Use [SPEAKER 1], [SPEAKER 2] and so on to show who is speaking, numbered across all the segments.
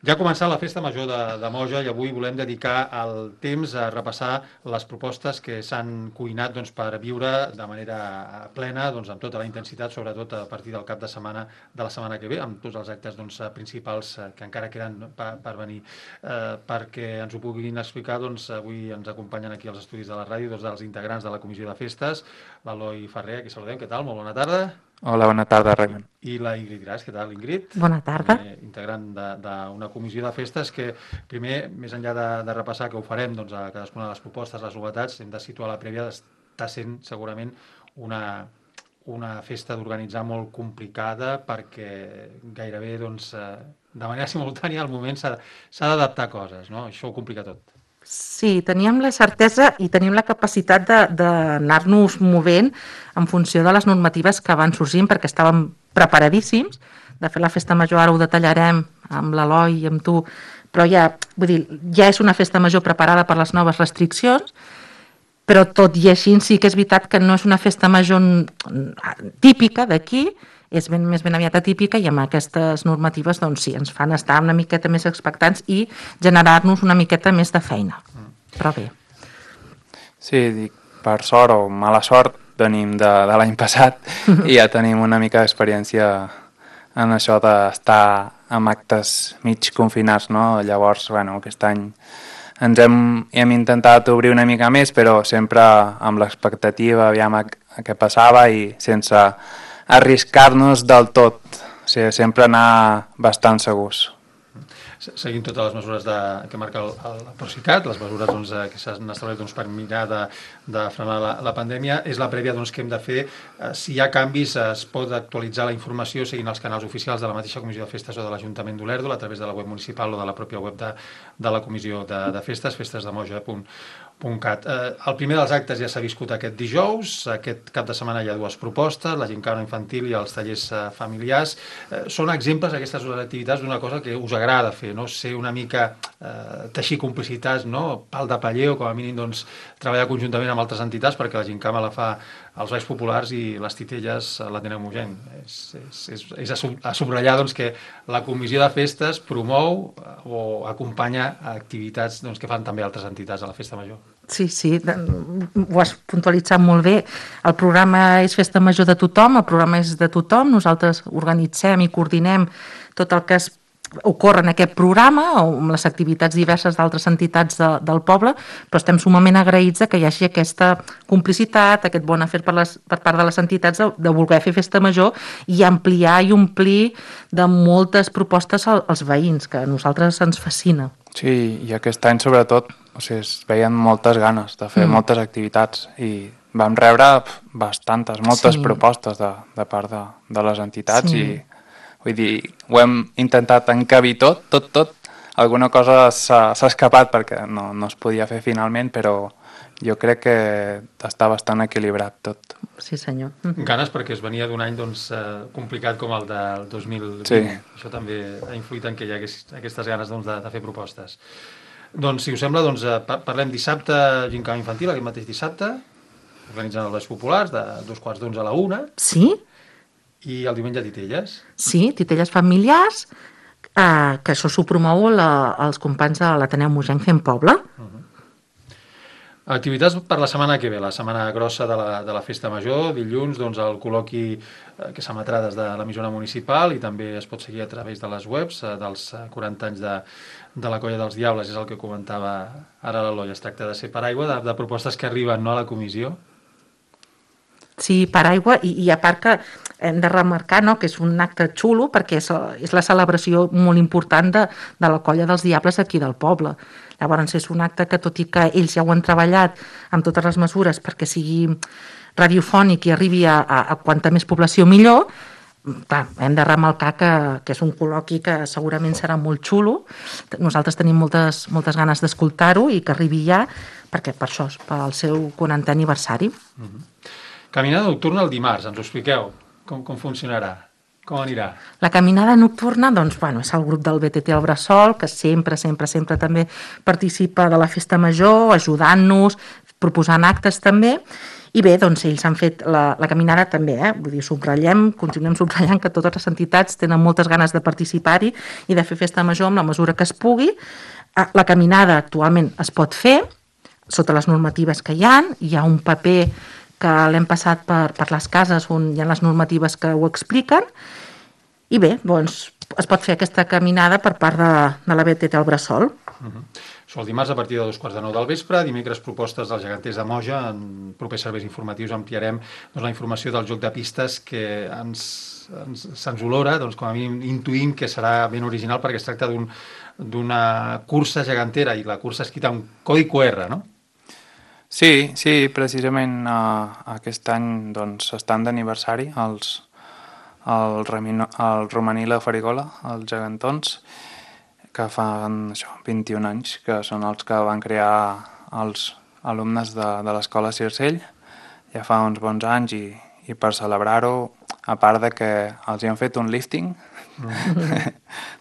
[SPEAKER 1] Ja ha començat la festa major de Moja i avui volem dedicar el temps a repassar les propostes que s'han cuinat per viure de manera plena, amb tota la intensitat, sobretot a partir del cap de la setmana que ve, amb tots els actes principals que encara queden per venir. Perquè ens ho puguin explicar, avui ens acompanyen aquí als estudis de la ràdio dos dels integrants de la Comissió de Festes, l'Eloi Ferrer, aquí saludem, què tal? Molt bona tarda.
[SPEAKER 2] Hola, bona tarda, Raimon.
[SPEAKER 1] I la Ingrid Gras, què tal, Ingrid?
[SPEAKER 3] Bona tarda.
[SPEAKER 1] Integrant d'una comissió de festes que, primer, més enllà de repassar que ho farem a cadascuna de les propostes, les novetats, hem de situar la prèvia, està sent segurament una festa d'organitzar molt complicada perquè gairebé de manera simultània al moment s'ha d'adaptar coses, no? Això ho complica tot.
[SPEAKER 3] Sí, teníem la certesa i tenim la capacitat d'anar-nos movent en funció de les normatives que van sorgint perquè estàvem preparadíssims. De fet, la festa major ara ho detallarem amb l'Eloi i amb tu, però ja és una festa major preparada per les noves restriccions, però tot i així sí que és veritat que no és una festa major típica d'aquí, és més ben aviat atípica i amb aquestes normatives sí, ens fan estar una miqueta més expectants i generar-nos una miqueta més de feina. Però bé.
[SPEAKER 2] Sí, dic, per sort o mala sort venim de l'any passat i ja tenim una mica d'experiència en això d'estar amb actes mig confinats, no? Llavors, aquest any hem intentat obrir una mica més, però sempre amb l'expectativa, aviam què passava i sense arriscar-nos del tot, o sigui, sempre anar bastant segurs.
[SPEAKER 1] Seguint totes les mesures que marca el Procicat, les mesures que s'han establert per mirar de frenar la pandèmia, és la prèvia que hem de fer. Si hi ha canvis, es pot actualitzar la informació seguint els canals oficials de la mateixa Comissió de Festes o de l'Ajuntament d'Olèrdola a través de la web municipal o de la pròpia web de la Comissió de Festes, festesdemoja.cat. El primer dels actes ja s'ha viscut aquest dijous, aquest cap de setmana hi ha dues propostes, la gincana infantil i els tallers familiars. Són exemples, aquestes dues activitats, d'una cosa que us agrada fer, no? Ser una mica teixir complicitats, no? Pal de paller o com a mínim treballar conjuntament amb altres entitats perquè la gincama la fa els balls populars i les titelles l'Ateneu Mogent. És a subratllar que la Comissió de Festes promou o acompanya activitats que fan també altres entitats a la Festa Major.
[SPEAKER 3] Sí, ho has puntualitzat molt bé. El programa és Festa Major de tothom, el programa és de tothom, nosaltres organitzem i coordinem tot el que ocorre en aquest programa o amb les activitats diverses d'altres entitats del poble, però estem sumament agraïts que hi hagi aquesta complicitat, aquest bon afer per part de les entitats de voler fer festa major i ampliar i omplir de moltes propostes als veïns, que a nosaltres ens fascina.
[SPEAKER 2] Sí, i aquest any sobretot es veien moltes ganes de fer moltes activitats i vam rebre moltes propostes de part de les entitats i vull dir, ho hem intentat encabir tot. Alguna cosa s'ha escapat perquè no es podia fer finalment, però jo crec que està bastant equilibrat tot.
[SPEAKER 3] Sí, senyor.
[SPEAKER 1] Ganes perquè es venia d'un any complicat com el del 2020.
[SPEAKER 2] Sí.
[SPEAKER 1] Això també ha influït en que hi hagués aquestes ganes de fer propostes. Si us sembla, parlem dissabte gincana infantil, aquest mateix dissabte, organitzant els balls populars de 11:15 a la 1.
[SPEAKER 3] Sí?
[SPEAKER 1] I el diumenge titelles?
[SPEAKER 3] Sí, titelles familiars, que això s'ho promou els companys de l'Ateneu Mogent Fent Poble.
[SPEAKER 1] Activitats per la setmana que ve, la setmana grossa de la Festa Major, dilluns el col·loqui que s'emetrà des de l'emissora municipal i també es pot seguir a través de les webs dels 40 anys de la Colla dels Diables, és el que comentava ara l'Eloi, es tracta de ser paraigua de propostes que arriben a la comissió.
[SPEAKER 3] Sí, paraigua, i a part que hem de remarcar que és un acte xulo perquè és la celebració molt important de la Colla dels Diables aquí del poble. Llavors és un acte que, tot i que ells ja ho han treballat amb totes les mesures perquè sigui radiofònic i arribi a quanta més població millor, clar, hem de remarcar que és un col·loqui que segurament serà molt xulo. Nosaltres tenim moltes ganes d'escoltar-ho i que arribi ja, perquè per això és pel seu 40è aniversari.
[SPEAKER 1] Caminada nocturna el dimarts, ens ho expliqueu? Com funcionarà? Com anirà?
[SPEAKER 3] La caminada nocturna, és el grup del BTT al Bressol, que sempre també participa de la Festa Major, ajudant-nos, proposant actes també, I bé, doncs ells han fet la caminada també, vull dir, continuem subratllant que totes les entitats tenen moltes ganes de participar-hi i de fer festa major amb la mesura que es pugui. La caminada actualment es pot fer sota les normatives que hi ha un paper que l'hem passat per les cases on hi ha les normatives que ho expliquen, i bé, doncs es pot fer aquesta caminada per part de la BTT al Bressol.
[SPEAKER 1] Això el dimarts a partir de 2:15 del vespre, dimecres propostes dels geganters de Moja, en propers serveis informatius ampliarem la informació del joc de pistes que se'ns olora, com a mínim intuïm que serà ben original perquè es tracta d'una cursa gegantera i la cursa escrita amb codi QR, no?
[SPEAKER 2] Sí, precisament aquest any estan d'aniversari el Romaní i la Farigola, els gegantons, que fan 21 anys, que són els que van crear els alumnes de l'escola Circell, ja fa uns bons anys, i per celebrar-ho, a part de que els hi han fet un lifting,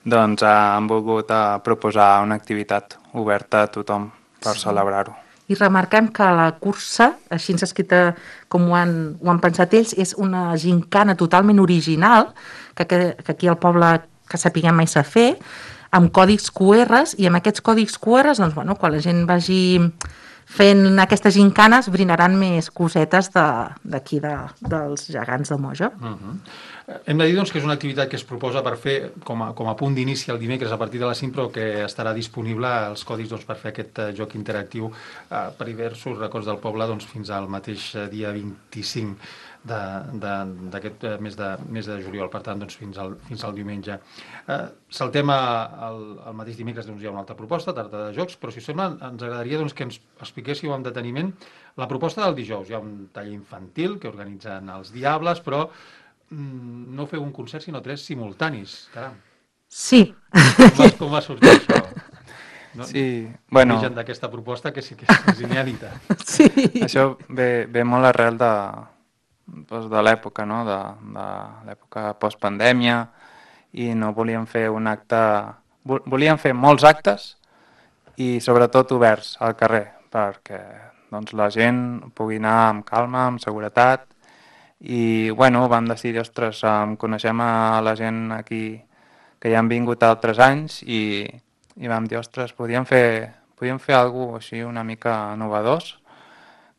[SPEAKER 2] doncs han volgut proposar una activitat oberta a tothom per celebrar-ho.
[SPEAKER 3] I remarquem que la cursa, així escrita com ho han pensat ells, és una gincana totalment original, que aquí al poble, que sapiguem, mai s'ha fet, amb còdics QR, i amb aquests còdics QR, quan la gent vagi fent aquestes gincanes, brinaran més cosetes d'aquí, dels gegants de Moja.
[SPEAKER 1] Hem de dir que és una activitat que es proposa per fer com a punt d'inici el dimecres a partir de les 5, però que estarà disponible els còdics per fer aquest joc interactiu per diversos racons del poble fins al mateix dia 25 d'aquest mes de juliol, per tant, fins al diumenge. Saltem el mateix dimecres, hi ha una altra proposta, tarda de jocs, però si us sembla ens agradaria que ens expliquéssiu amb deteniment la proposta del dijous. Hi ha un taller infantil que organitzen els Diables, però no feu un concert, sinó 3 simultanis, caram.
[SPEAKER 3] Sí.
[SPEAKER 1] Com va sortir això?
[SPEAKER 2] Sí, bueno...
[SPEAKER 1] L'origen d'aquesta proposta, que sí que és inèdita.
[SPEAKER 3] Sí.
[SPEAKER 2] Això ve molt arrel de l'època, no? De l'època postpandèmia, i no volíem fer un acte... Volíem fer molts actes i sobretot oberts al carrer, perquè la gent pugui anar amb calma, amb seguretat, i vam decidir, ostres, coneixem a la gent aquí que ja han vingut altres anys i vam dir, ostres, podíem fer alguna cosa així una mica novedós,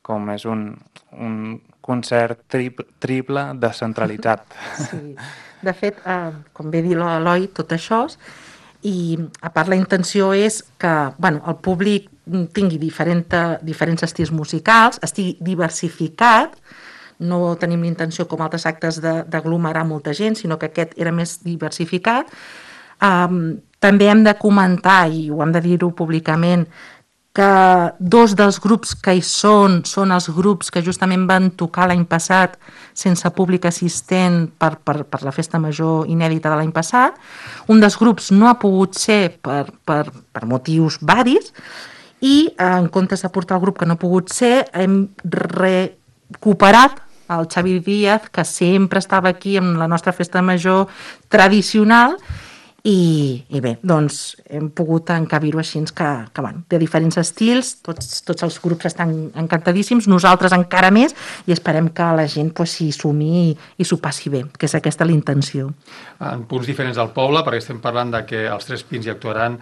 [SPEAKER 2] com és un concert triple descentralitzat. Sí.
[SPEAKER 3] De fet, com bé dir l'Eloi, tot això, i a part la intenció és que el públic tingui diferents estils musicals, estigui diversificat. No tenim l'intenció, com altres actes, d'aglomerar molta gent, sinó que aquest era més diversificat. També hem de comentar, i ho hem de dir-ho públicament, que 2 dels grups que hi són els grups que justament van tocar l'any passat sense públic assistent per la festa major inèdita de l'any passat. Un dels grups no ha pogut ser per motius varis, i en comptes de portar el grup que no ha pogut ser, hem recuperat el Xavi Díaz, que sempre estava aquí amb la nostra festa major tradicional, i bé, hem pogut encabir-ho així, que de diferents estils, tots els grups estan encantadíssims, nosaltres encara més, i esperem que la gent s'hi sumi i s'ho passi bé, que és aquesta la intenció.
[SPEAKER 1] En punts diferents del poble, perquè estem parlant que els 3 Pins hi actuaran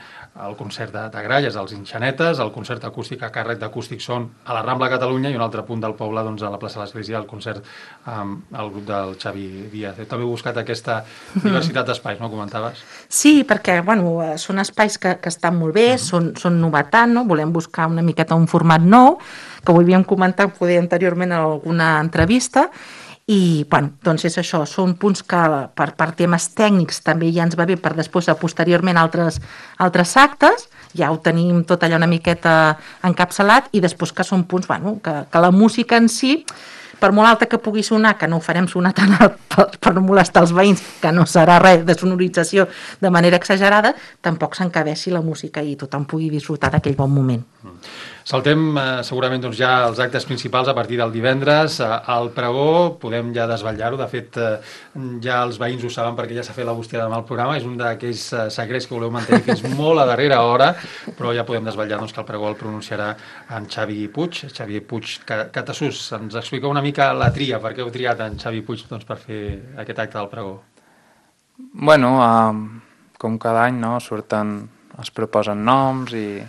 [SPEAKER 1] el concert de Gralles, els Inxanetes, el concert acústic a càrrec d'Acústic Son a la Rambla Catalunya, i un altre punt del poble, a la plaça de l'Església, el concert amb el grup del Xavi Díaz. També heu buscat aquesta diversitat d'espais, no? Comentaves?
[SPEAKER 3] Sí, perquè són espais que estan molt bé, són novetat, no? Volem buscar una miqueta un format nou, que ho havíem comentat poder anteriorment en alguna entrevista, i és això, són punts que per temes tècnics també ja ens va bé per després posteriorment altres actes, ja ho tenim tot allà una miqueta encapçalat, i després que són punts que la música en si, per molt alta que pugui sonar, que no ho farem sonar tan alt per no molestar els veïns, que no serà res de sonorització de manera exagerada, tampoc s'encabeixi la música i tothom pugui disfrutar d'aquell bon moment.
[SPEAKER 1] Saltem segurament doncs, ja els actes principals a partir del divendres. Al pregó podem ja desvetllar-ho. De fet, ja els veïns ho saben perquè ja s'ha fet la bústia demà al programa. És un d'aquells secrets que voleu mantenir fins molt a darrera hora, però ja podem desvetllar doncs, que el pregó el pronunciarà en Xavi Puig. Xavi Puig, Catasús, ens explica una mica la tria. Per què heu triat en Xavi Puig doncs, per fer aquest acte del pregó?
[SPEAKER 2] Bueno, com cada any, no? Es proposen noms i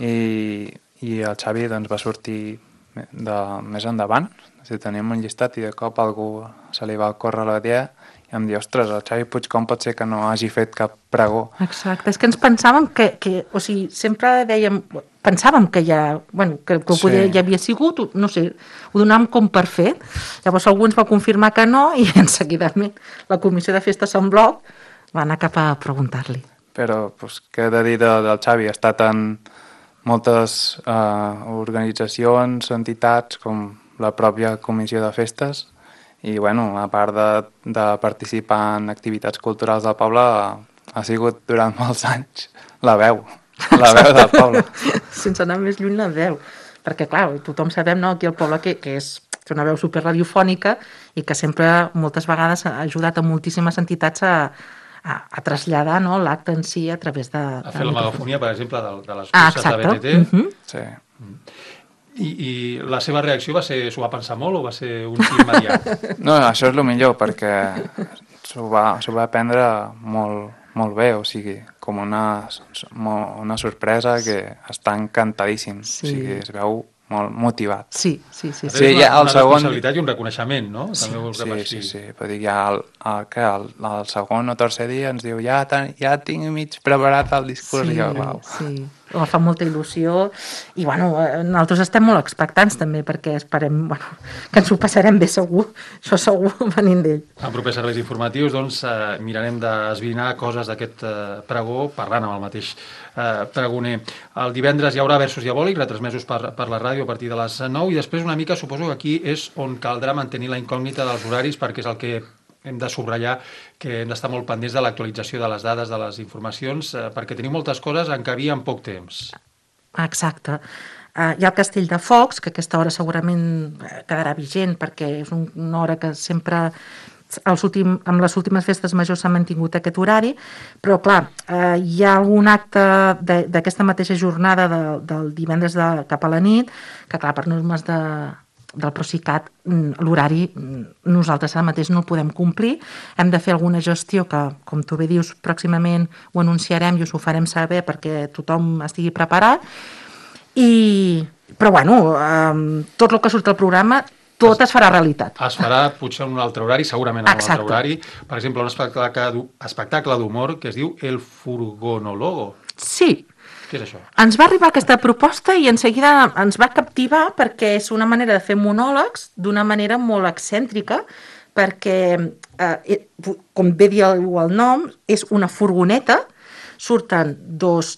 [SPEAKER 2] el Xavi doncs, va sortir més endavant. Teníem un llistat i de cop algú se li va córrer la idea i em diu, ostres, el Xavi Puig com pot ser que no hagi fet cap pregó?
[SPEAKER 3] Exacte, és que ens pensàvem o sigui, sempre pensàvem que ja, bueno, que poder, ja havia sigut, no sé, ho donàvem com per fet. Llavors algú ens va confirmar que no i en seguidament la comissió de festes en bloc va anar cap a preguntar-li.
[SPEAKER 2] Però què he de dir del Xavi? Ha estat en moltes organitzacions, entitats, com la pròpia comissió de festes, i bueno, a part de participar en activitats culturals del poble, ha sigut durant molts anys la veu del poble.
[SPEAKER 3] Sense anar més lluny, la veu. Perquè, clar, tothom sabem, no, aquí al poble que és una veu superradiofònica i que sempre, moltes vegades, ha ajudat a moltíssimes entitats a traslladar, no, l'acte en si a través de...
[SPEAKER 1] A fer la megafonia, per exemple, de les curses de BTT.
[SPEAKER 2] Sí.
[SPEAKER 1] I la seva reacció va ser, s'ho va pensar molt o va ser un sí immediat?
[SPEAKER 2] No, això és el millor, perquè s'ho va prendre molt bé, o sigui, com una sorpresa que està encantadíssim, sí. O sigui, es veu molt motivat.
[SPEAKER 3] Sí.
[SPEAKER 1] Una responsabilitat i un reconeixement, no?
[SPEAKER 2] Sí. Però dic, ja el segon o tercer dia ens diu ja tinc mig preparat el discurs i jo, uau.
[SPEAKER 3] Sí, fa molta il·lusió i, bueno, nosaltres estem molt expectants també perquè esperem, que ens ho passarem bé segur, això segur venint d'ell.
[SPEAKER 1] En propers serveis informatius, doncs, mirarem d'esbrinar coses d'aquest pregó parlant amb el mateix pregoner. El divendres hi haurà versos diabòlics, retransmesos per la ràdio a partir de les 9 i després una mica suposo que aquí és on caldrà mantenir la incògnita dels horaris perquè és el que hem de subratllar que hem d'estar molt pendents de l'actualització de les dades, de les informacions, perquè tenim moltes coses en cabia en poc temps.
[SPEAKER 3] Exacte. Hi ha el Castell de Focs, que a aquesta hora segurament quedarà vigent perquè és una hora que sempre amb les últimes festes majors s'ha mantingut aquest horari, però clar, hi ha algun acte d'aquesta mateixa jornada del divendres cap a la nit, que clar, per normes del Procicat, l'horari nosaltres ara mateix no el podem complir, hem de fer alguna gestió que, com tu bé dius, pròximament ho anunciarem i us ho farem saber perquè tothom estigui preparat, però bueno, tot el que surt al programa tot es farà realitat.
[SPEAKER 1] Es farà potser en un altre horari, segurament en un altre horari. Per exemple, un espectacle d'humor que es diu El Furgonólogo.
[SPEAKER 3] Sí.
[SPEAKER 1] Què és això?
[SPEAKER 3] Ens va arribar aquesta proposta i en seguida ens va captivar perquè és una manera de fer monòlegs d'una manera molt excèntrica perquè, com bé diu el nom, és una furgoneta, surten dos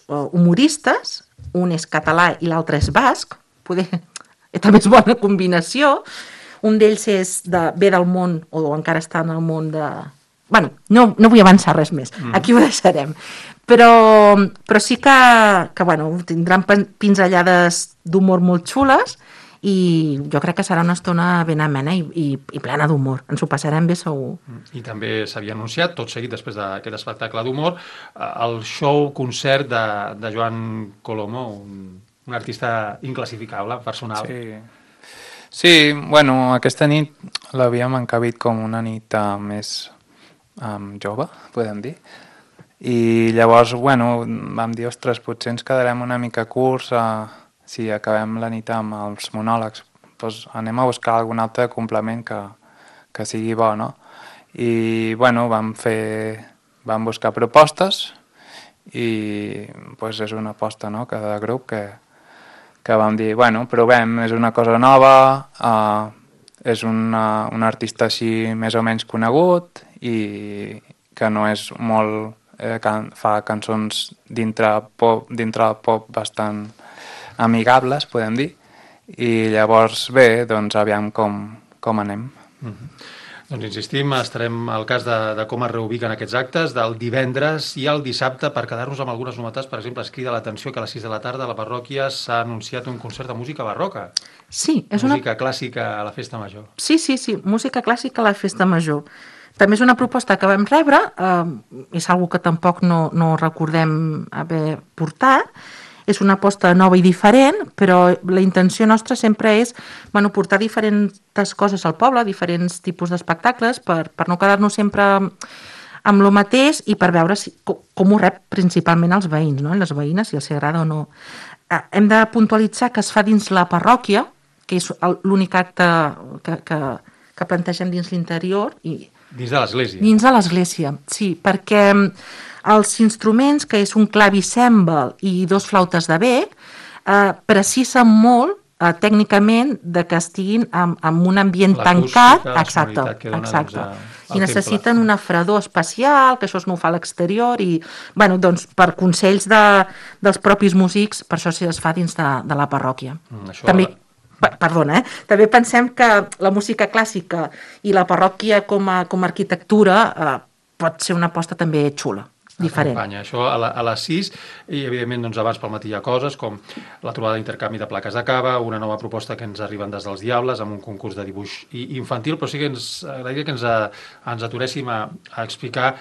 [SPEAKER 3] humoristes, un és català i l'altre és basc, també és bona combinació. Un d'ells ve del món, o encara està en el món de... Bueno, no vull avançar res més, aquí ho deixarem. Però sí que bueno, tindran pinzellades d'humor molt xules i jo crec que serà una estona ben amena i plena d'humor. Ens ho passarem bé segur.
[SPEAKER 1] I també s'havia anunciat, tot seguit després d'aquest espectacle d'humor, el show-concert de Joan Colomo, un artista inclassificable, personal.
[SPEAKER 2] Sí, bueno, aquesta nit l'havíem encabit com una nit més jove, podem dir. I llavors, bueno, vam dir, ostres, potser ens quedarem una mica curts si acabem la nit amb els monòlegs. Doncs anem a buscar algun altre complement que sigui bo, no? I, bueno, vam buscar propostes i doncs és una aposta, no?, cada grup que vam dir, bueno, provem, és una cosa nova, és un artista així més o menys conegut i que no és molt... fa cançons dintre del pop bastant amigables, podem dir, i llavors bé, doncs aviam com anem.
[SPEAKER 1] Doncs insistim, estarem al cas de com es reubiquen aquests actes del divendres i el dissabte per quedar-nos amb algunes novetats. Per exemple, es crida l'atenció que a les 6 de la tarda a la parròquia s'ha anunciat un concert de música barroca.
[SPEAKER 3] Sí, és
[SPEAKER 1] música clàssica a la festa major.
[SPEAKER 3] Sí, música clàssica a la festa major. També és una proposta que vam rebre, és una que tampoc no recordem haver portat. És una aposta nova i diferent, però la intenció nostra sempre és portar diferents coses al poble, diferents tipus d'espectacles, per no quedar-nos sempre amb el mateix i per veure com ho rep principalment els veïns, no? Les veïnes, si els agrada o no. Hem de puntualitzar que es fa dins la parròquia, que és l'únic acte que plantegem dins l'interior.
[SPEAKER 1] Dins de l'església?
[SPEAKER 3] Dins de l'església, sí, perquè els instruments, que és un clavicèmbal i 2 flautes de bec, precisen molt tècnicament de que estiguin en un ambient tancat. Exacte. I necessiten una fredor especial, que això no ho fa a l'exterior, i per consells dels propis músics, per això es fa dins de la parròquia. També també pensem que la música clàssica i la parròquia com a arquitectura pot ser una aposta també xula, diferent.
[SPEAKER 1] Això a les 6, i evidentment abans pel matí hi ha coses com la trobada d'intercanvi de plaques de cava, una nova proposta que ens arriben des dels Diables amb un concurs de dibuix infantil, però sí que ens agradaria que ens aturéssim a explicar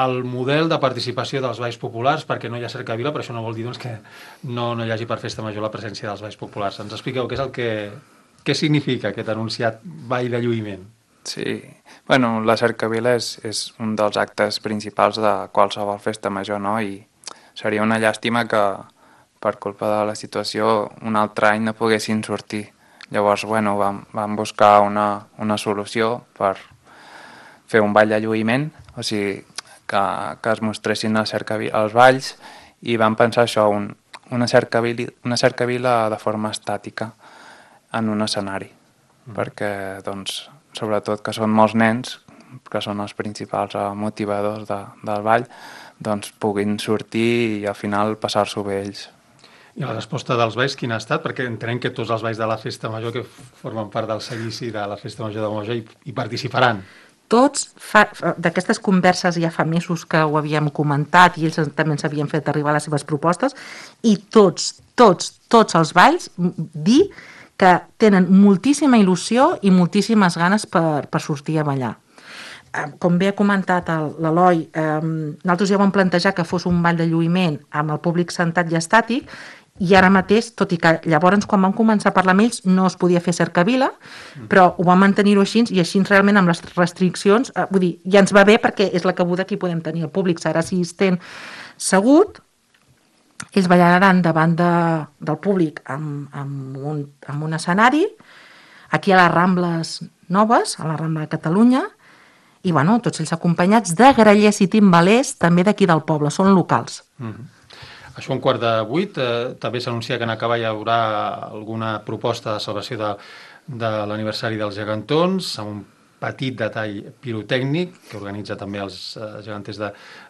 [SPEAKER 1] el model de participació dels balls populars, perquè no hi ha cercavila, però això no vol dir que no hi hagi per festa major la presència dels balls populars. Ens expliqueu què és què significa aquest anunciat ball de lluïment?
[SPEAKER 2] Sí, la cercavila és un dels actes principals de qualsevol festa major, no? I seria una llàstima que per culpa de la situació un altre any no poguessin sortir. Llavors, vam buscar una solució per fer un ball de lluïment, o sigui, que es mostressin els balls, i vam pensar això, una cercavila de forma estàtica en un escenari, perquè, sobretot que són molts nens, que són els principals motivadors del ball, puguin sortir i al final passar-s'ho bé ells.
[SPEAKER 1] I la resposta dels balls quina ha estat? Perquè entenem que tots els balls de la festa major que formen part del seguici de la festa major de Moja hi participaran.
[SPEAKER 3] Tots, d'aquestes converses ja fa mesos que ho havíem comentat i ells també ens havien fet arribar les seves propostes, i tots els balls dir que tenen moltíssima il·lusió i moltíssimes ganes per sortir a ballar. Com bé ha comentat l'Eloi, nosaltres ja vam plantejar que fos un ball de lluïment amb el públic sentat i estàtic, i ara mateix, tot i que llavors quan vam començar a parlar amb ells no es podia fer cercavila, però ho vam mantenir-ho així, i així realment amb les restriccions, vull dir, ja ens va bé perquè és la cabuda que hi podem tenir. El públic serà assistent segut, ells ballaran davant del públic amb un escenari, aquí a les Rambles Noves, a la Rambla de Catalunya, i tots ells acompanyats de grallers i timbalers també d'aquí del poble, són locals.
[SPEAKER 1] Això 7:15, també s'anuncia que en acabar hi haurà alguna proposta de celebració de l'aniversari dels gegantons, amb un petit detall pirotècnic que organitza també els geganters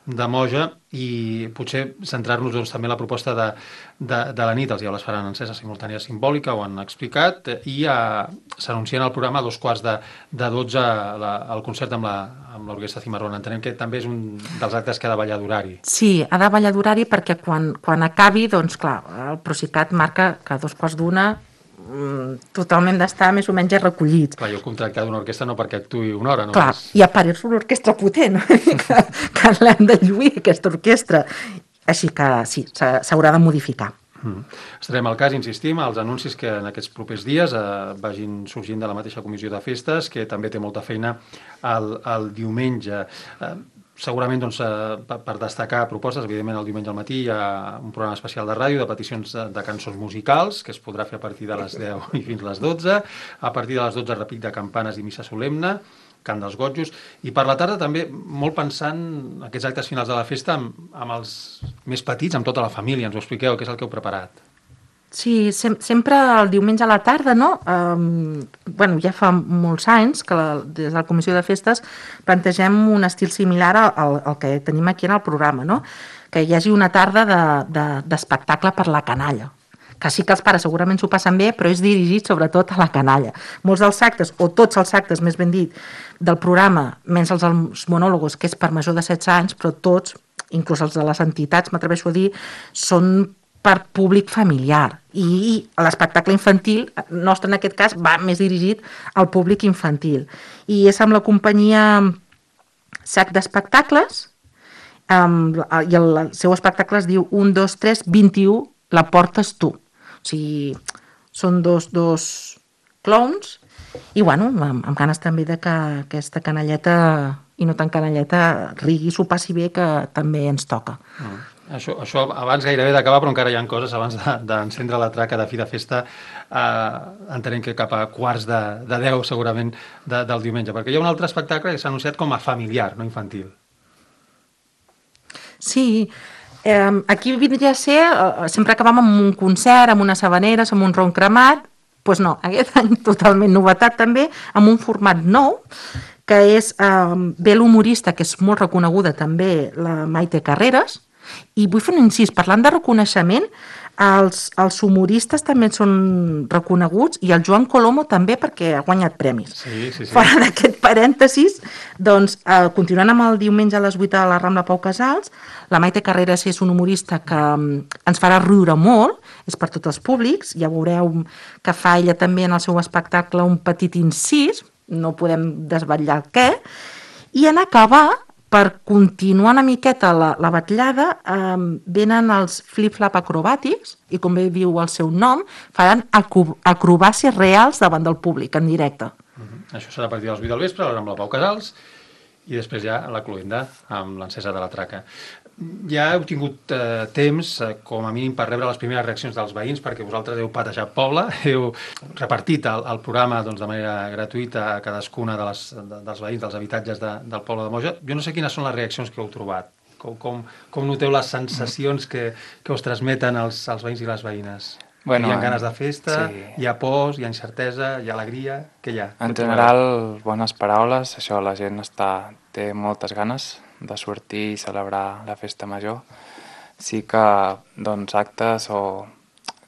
[SPEAKER 1] de Moja, i potser centrar-nos també en la proposta de la nit. Els Diables faran encesa simultània simbòlica, ho han explicat, i s'anuncien al programa a 11:45 el concert amb l'Orquestra Cimarrón. Entenem que també és un dels actes que ha de ballar d'horari.
[SPEAKER 3] Sí, ha de ballar d'horari perquè quan acabi, clar, el Procicat marca que a 2:15 totalment d'estar més o menys recollit.
[SPEAKER 1] Clar, jo he contractat una orquestra no perquè actuï una hora.
[SPEAKER 3] Clar, i a part és una orquestra potent, que l'hem de lluir, aquesta orquestra. Així que sí, s'haurà de modificar.
[SPEAKER 1] Estarem al cas, insistim, als anuncis que en aquests propers dies vagin sorgint de la mateixa comissió de festes, que també té molta feina el diumenge. Segurament, per destacar propostes, evidentment el diumenge al matí hi ha un programa especial de ràdio de peticions de cançons musicals, que es podrà fer a partir de les 10 i fins a les 12. A partir de les 12, repic de campanes i missa solemne, cant dels gotjos. I per la tarda també molt pensant aquests actes finals de la festa amb els més petits, amb tota la família. Ens ho expliqueu, què és el que heu preparat?
[SPEAKER 3] Sí, sempre el diumenge a la tarda, no? Ja fa molts anys que des de la Comissió de Festes plantegem un estil similar al que tenim aquí en el programa, no? Que hi hagi una tarda d'espectacle per la canalla, que sí que els pares segurament s'ho passen bé, però és dirigit sobretot a la canalla. Molts dels actes, o tots els actes, més ben dit, del programa, menys els monòlogos, que és per major de 16 anys, però tots, inclús els de les entitats, m'atreveixo a dir, són per públic familiar. I l'espectacle infantil, nostre en aquest cas, va més dirigit al públic infantil. I és amb la companyia Sac d'Espectacles, i el seu espectacle es diu 1, 2, 3, 21, la portes tu. O sigui, són dos clowns i, bueno, amb ganes també de que aquesta canalleta i no tan canalleta rigui, s'ho passi bé, que també ens toca.
[SPEAKER 1] Això abans gairebé d'acabar, però encara hi ha coses abans d'encendre la traca de fi de festa, entenem que cap a quarts de 10 segurament del diumenge, perquè hi ha un altre espectacle que s'ha anunciat com a familiar, no infantil.
[SPEAKER 3] Sí, aquí vindria a ser, sempre acabam amb un concert, amb unes habaneres, amb un ron cremat, doncs no, aquest any totalment novetat també, amb un format nou, que és ve l'humorista, que és molt reconeguda també, la Maite Carreras, i vull fer un incís, parlant de reconeixement, els humoristes també són reconeguts i el Joan Colomo també, perquè ha guanyat premis.
[SPEAKER 1] Sí.
[SPEAKER 3] Fora d'aquest parèntesis, doncs, continuant amb el diumenge a les 8 a la Rambla Pau Casals, la Maite Carreras és un humorista que ens farà riure molt, és per tots els públics, ja veureu que fa ella també en el seu espectacle un petit incís, no podem desvetllar el què, i en acabar, per continuar una miqueta la batllada, venen els flip-flap acrobàtics i, com bé diu el seu nom, faran acrobàcies reals davant del públic, en directe.
[SPEAKER 1] Això serà a partir de les 8 del vespre, amb la Pau Casals, i després ja la cloenda amb l'encesa de la traca. Ja heu tingut temps, com a mínim, per rebre les primeres reaccions dels veïns, perquè vosaltres heu patejat poble, heu repartit el programa doncs, de manera gratuïta a cadascuna dels veïns dels habitatges del poble de Moja. Jo no sé quines són les reaccions que heu trobat. Com noteu les sensacions que us transmeten els veïns i les veïnes? Bueno, hi ha ganes de festa, sí. Hi ha pors, hi ha incertesa, hi ha alegria, què hi ha?
[SPEAKER 2] En general, bones paraules, això, la gent té moltes ganes de sortir i celebrar la festa major. Sí que, doncs, actes o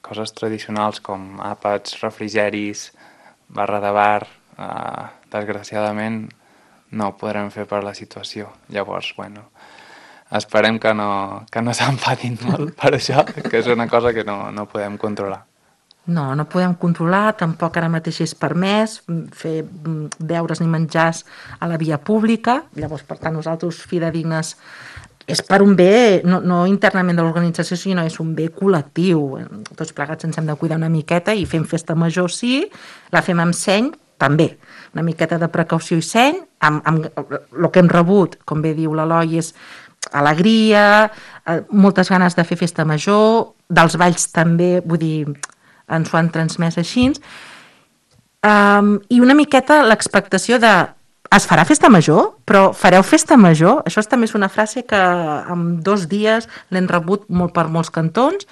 [SPEAKER 2] coses tradicionals com àpats, refrigeris, barra de bar, desgraciadament no ho podrem fer per la situació. Llavors, bueno, esperem que no s'enfadin molt per això, que és una cosa que no podem controlar.
[SPEAKER 3] No podem controlar, tampoc ara mateix és permès fer beures ni menjars a la via pública, llavors, per tant, nosaltres, fidedignes, és per un bé, no internament de l'organització, sinó és un bé col·lectiu. Tots plegats ens hem de cuidar una miqueta i fem festa major, sí, la fem amb seny, també. Una miqueta de precaució i seny, amb el que hem rebut, com bé diu l'Eloi, és alegria, moltes ganes de fer festa major, dels balls també, vull dir, ens ho han transmès així, i una miqueta l'expectació de es farà festa major, però fareu festa major? Això també és una frase que en 2 dies l'hem rebut molt per molts cantons,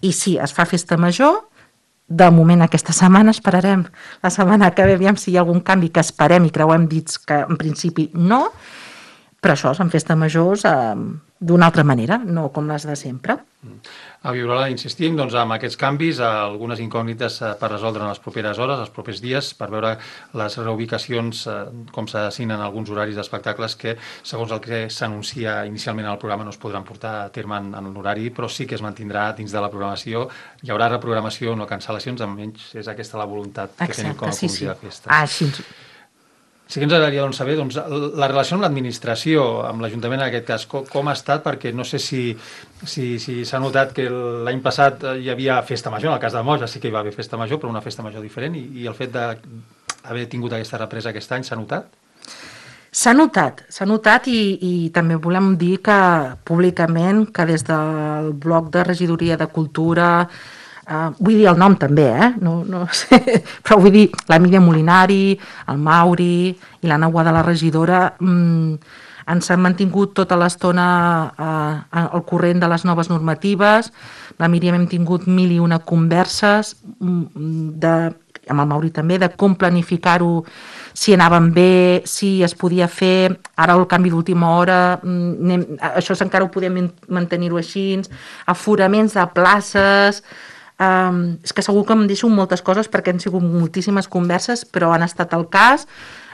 [SPEAKER 3] i sí, es fa festa major. De moment aquesta setmana esperarem la setmana que ve, aviam si hi ha algun canvi, que esperem i creuem dits que en principi no, però això són festes majors d'una altra manera, no com les de sempre.
[SPEAKER 1] A Viola insistim doncs, amb aquests canvis, algunes incògnites per resoldre en les properes hores, els propers dies, per veure les reubicacions, com s'assignen alguns horaris d'espectacles que, segons el que s'anuncia inicialment al programa, no es podran portar a terme en l'horari, però sí que es mantindrà dins de la programació. Hi haurà reprogramació, no cancel·lacions, almenys és aquesta la voluntat que tenim com a comissió de festes.
[SPEAKER 3] Així.
[SPEAKER 1] Sí que ens agradaria saber la relació amb l'administració, amb l'Ajuntament en aquest cas, com ha estat, perquè no sé si s'ha notat que l'any passat hi havia festa major, en el cas de Moja sí que hi va haver festa major, però una festa major diferent, i el fet d'haver tingut aquesta represa aquest any s'ha notat?
[SPEAKER 3] S'ha notat i també volem dir que públicament que des del bloc de regidoria de cultura, vull dir el nom també, no sé, però vull dir la Míriam Molinari, el Mauri i la Naua de la regidora ens han mantingut tota l'estona al corrent de les noves normatives. La Míriam hem tingut 1001 converses amb el Mauri també, de com planificar-ho, si anaven bé, si es podia fer, ara el canvi d'última hora, això encara ho podem mantenir-ho així, aforaments de places, És que segur que em deixo moltes coses perquè han sigut moltíssimes converses, però han estat el cas,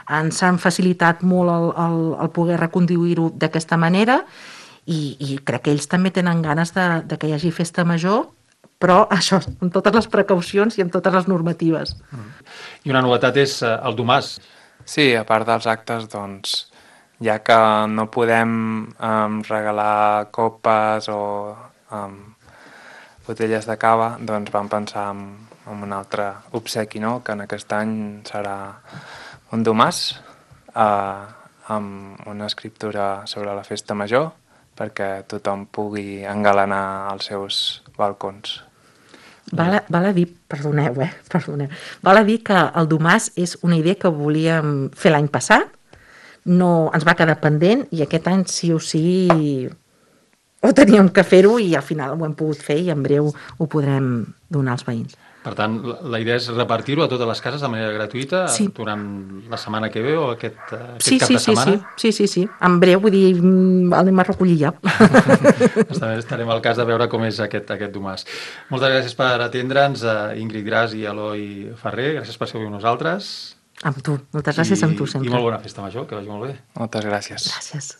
[SPEAKER 3] ens han facilitat molt el poder reconduir-ho d'aquesta manera i crec que ells també tenen ganes de que hi hagi festa major, però això, amb totes les precaucions i amb totes les normatives.
[SPEAKER 1] I una novetat és el domàs.
[SPEAKER 2] Sí, a part dels actes, doncs, ja que no podem regalar copes o botelles de cava, doncs vam pensar en un altre obsequi, no? Que en aquest any serà un domàs amb una escriptura sobre la festa major perquè tothom pugui engalanar els seus balcons.
[SPEAKER 3] Val a dir, perdoneu, val a dir que el domàs és una idea que volíem fer l'any passat, no ens va quedar pendent i aquest any sí o sí ho teníem que fer-ho i al final ho hem pogut fer i en breu ho podrem donar als veïns.
[SPEAKER 1] Per tant, la idea és repartir-ho a totes les cases de manera gratuïta durant la setmana que ve o aquest cap de setmana?
[SPEAKER 3] Sí. En breu, vull dir, anem a recollir ja.
[SPEAKER 1] Estarem al cas de veure com és aquest domàs. Moltes gràcies per atendre'ns, Ingrid Gras i Eloi Ferrer. Gràcies per ser avui amb nosaltres.
[SPEAKER 3] Amb tu. Moltes gràcies amb tu sempre.
[SPEAKER 1] I molt bona festa major, que vagi molt bé.
[SPEAKER 2] Moltes gràcies.
[SPEAKER 3] Gràcies.